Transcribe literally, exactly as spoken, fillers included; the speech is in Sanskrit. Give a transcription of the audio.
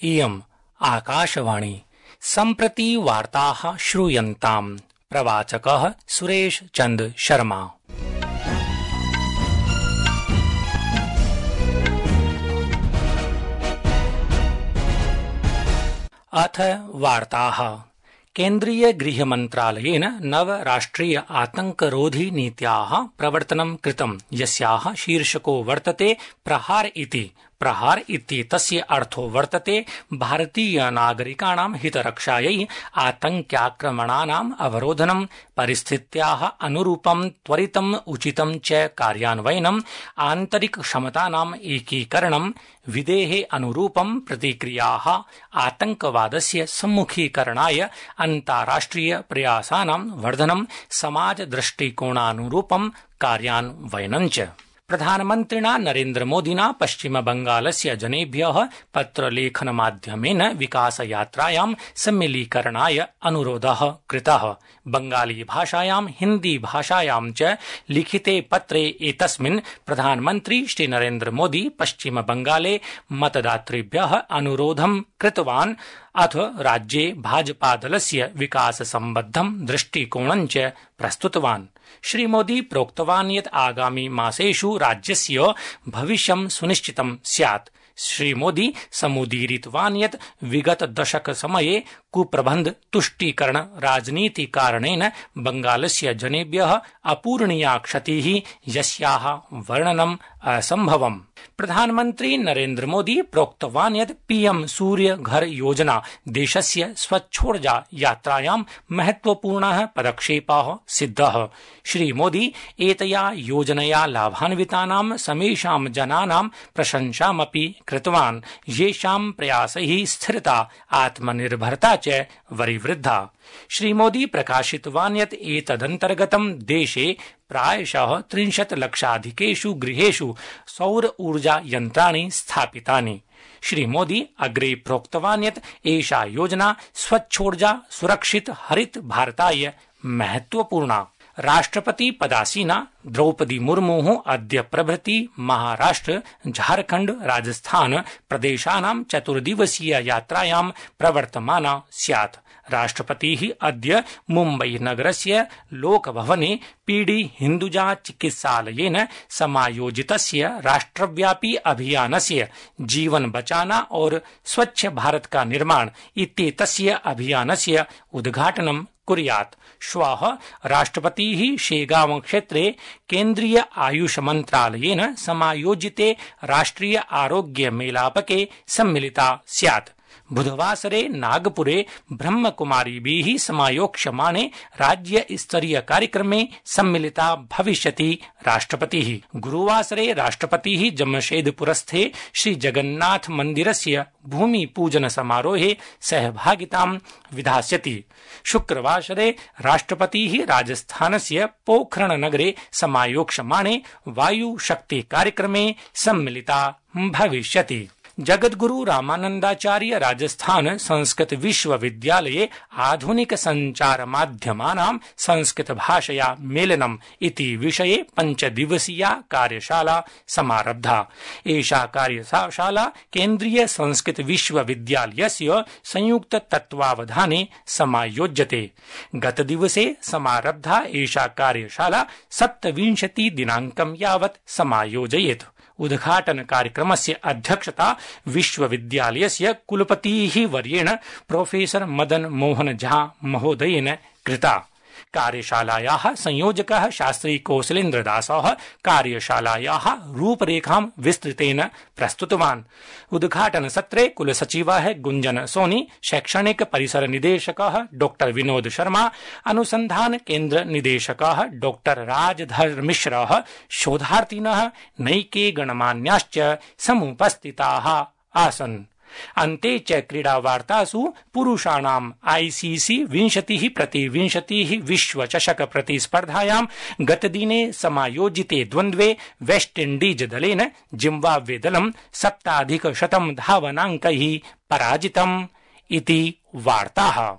इयम् आकाशवाणी सम्प्रति वार्ताः श्रूयन्ताम्। प्रवाचकः सुरेश चंद शर्मा। अथ वार्ताः। केन्द्रीय गृहमन्त्रालयेन नव राष्ट्रिय आतंकरोधी नीत्याः प्रवर्तनं कृतं, यस्याः शीर्षको वर्तते प्रहार इति। प्रहार इत्येतस्य अर्थो वर्तते भारतीय नागरिकाणां हितरक्षायै आतंक्याक्रमणानाम् अवरोधनं, परिस्थित्याः अनुरूपं त्वरितम् उचितं च कार्यान्वयनम्, आन्तरिक क्षमतानाम् एकीकरणं, विधेः अनुरूपं प्रतिक्रियाः, आतंकवादस्य सम्मुखीकरणाय अन्ताराष्ट्रिय प्रयासानां वर्धनं, समाज दृष्टिकोणानुरूपं कार्यान्वयनं च। प्रधानमन्त्रिणा नरेन्द्रमोदिना पश्चिमबंगालस्य जनेभ्यः पत्रलेखनमाध्यमेन विकासयात्रायां सम्मिलीकरणाय अनुरोधः कृतः। बंगाली भाषायां हिन्दी भाषायां च लिखिते पत्रे एतस्मिन् प्रधानमन्त्री श्री नरेन्द्रमोदी पश्चिमबंगाले मतदातृभ्यः अनुरोधं कृतवान्, अथ राज्ये भाजपादलस्य विकाससम्बद्धं दृष्टिकोणं च प्रस्तुतवान्। श्रीमोदी प्रोक्तवान् यत् आगामि मासेषु राज्यस्य भविष्यं सुनिश्चितं स्यात्। श्रीमोदी समुदीरितवान् यत् विगत दशक समये कुप्रबन्ध तुष्टीकरण राजनीति कारणेन बंगालस्य जनेभ्यः अपूरणीया क्षतिः, यस्याः वर्णनम् असम्भवम्। प्रधानमन्त्री नरेन्द्र मोदी प्रोक्तवान् यत् पीएम सूर्य घर योजना देशस्य स्वच्छोर्जा यात्रायां महत्वपूर्णः पदक्षेपः सिद्धः। श्रीमोदी एतया योजनया लाभान्वितानां समेषां जनानां प्रशंसामपि कृतवान्, येषां प्रयासैः स्थिरता आत्मनिर्भरता च वरिवृद्धा। श्रीमोदी प्रकाशितवान् यत् एतदन्तर्गतं देशे प्रायशः त्रिंशत् लक्षाधिकेषु गृहेषु सौर ऊर्जा यन्त्राणि स्थापितानि। श्रीमोदी अग्रे प्रोक्तवान् यत् एषा योजना स्वच्छोर्जा सुरक्षित हरित भारताय महत्वपूर्णा। राष्ट्रपति पदासीना द्रौपदी मुर्मुः अद्य प्रभृति महाराष्ट्र, झारखण्ड, राजस्थान प्रदेशानां चतुर्दिवसीय यात्रायां प्रवर्तमाना स्यात्। राष्ट्रपतिः अद्य मुम्बई नगरस्य लोकभवने पीडी हिन्दुजा चिकित्सालयेन समायोजितस्य राष्ट्रव्यापी अभियानस्य जीवन बचाना और स्वच्छ भारत का निर्माण इत्येतस्य अभियानस्य उद्घाटनं कुर्यात्। श्वः राष्ट्रपतिः शेगांव क्षेत्रे केन्द्रीय आयुष मन्त्रालयेन समायोजिते राष्ट्रिय आरोग्य मेलापके सम्मिलिता स्यात्। बुधवासरे नागपुरे ब्रह्मकुमारीभिः समायोक्ष्यमाणे राज्य स्तरीय कार्यक्रमे सम्मिलिता भविष्यति राष्ट्रपतिः। गुरुवासरे राष्ट्रपतिः जमशेदपुरस्थे श्री जगन्नाथ मन्दिरस्य भूमि पूजन समारोहे सहभागितां विधास्यति। शुक्रवासरे राष्ट्रपतिः राजस्थानस्य पोखरण नगरे समायोक्ष्यमाणे वायु शक्ति कार्यक्रमे सम्मिलिता भविष्यति। जगद्गुरु रामानन्दाचार्य राजस्थान संस्कृत विश्वविद्यालये आधुनिक संचार माध्यमानां संस्कृत भाषया मेलनम् इति विषये पञ्चदिवसीया कार्यशाला समारब्धा। एषा कार्यशाला केन्द्रीय संस्कृत विश्वविद्यालयस्य संयुक्त तत्त्वावधाने समायोज्यते। गतदिवसे समारब्धा एषा कार्यशाला सप्तविंशति दिनाङ्कं यावत् समायोजयेत्। उद्घाटन कार्यक्रमस्य अध्यक्षता विश्वविद्यालयस्य कुलपतिः वर्येण प्रोफेसर मदन मोहन झा महोदयेन कृता। कार्यशालायाः संयोजकः शास्त्री कौशलेन्द्र दासः कार्यशालायाः रूपरेखां विस्तृतेन प्रस्तुतवान्। उद्घाटन सत्रे कुलसचिवः गुंजन सोनी, शैक्षणिक परिसर निदेशकः डॉक्टर विनोद शर्मा, अनुसंधान केन्द्र निदेशकः डॉक्टर राजधर मिश्रः, शोधार्थिनः नैके गणमान्याश्च समुपस्थिताः आसन्। अन्ते च क्रीडावार्तासु पुरुषाणाम् आईसीसी विंशतिः प्रति विंशतिः विश्वचषक प्रतिस्पर्धायां गतदिने समायोजिते द्वन्द्वे वेस्ट इण्डीज दलेन जिम्बाब्वे दलं सप्ताधिकशतं धावनाङ्कैः पराजितम् इति वार्ताः।